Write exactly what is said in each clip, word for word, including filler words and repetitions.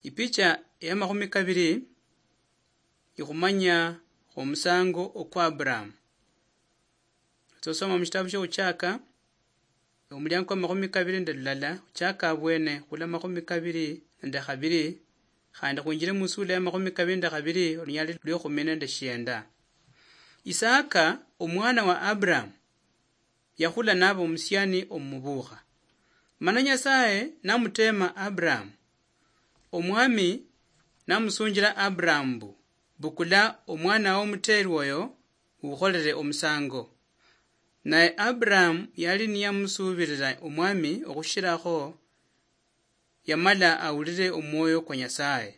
Ipicha ya makhumi kabiri ikhumanya omusango okwa Abraham. Tsosoma mushitabu shiokhutshaka, omuliango kwa makhumi kabiri nende lulala, khuchaka abwene khula makhumi kabiri nende khabiri, khandi khwinjire musula ya makhumi kabiri nende khabiri, olunyali lwekhumi nende shienda. Isaka, omwana wa Abraham, yakhula naba omusiani omubukha. Mana Nyasaye namutema Abraham. Omwami namusunjila Abraham mbu, "Bukula omwana womuteerwa oyo ukholere omusango." Naye Abraham yali niyamusuubilila Omwami okhushirakho yamala awulile omwoyo kwa Nyasaye.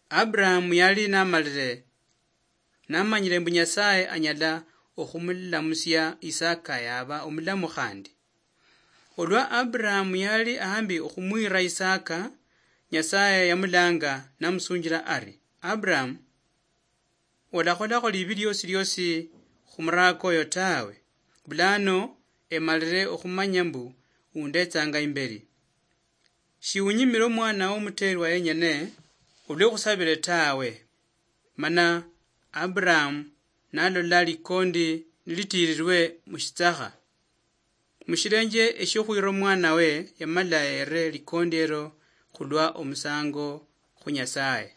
Abraham yali namalile, namanyile mbu Nyasaye anyala okhumulamusia Isaka yaba omulamu khandi. Olwa Abraham yali ahambi okhumwira Isaka, Nyasaye yamulanga namusunjila ari, "Abraham, olakholakho libi liosi liosi khumurako oyo tawe. Bulano emalire okhumanya mbu undetsanga imbeli. Shiunyimire omwana womuteerwa yenyene olwekhusabire tawe." Mana Abraham nalola likondi nilitiirirwe mushitsakha. Mushilenje eshiokhwira omwanawe, yamala yere likondi elo khulwa omusango khu Nyasaye.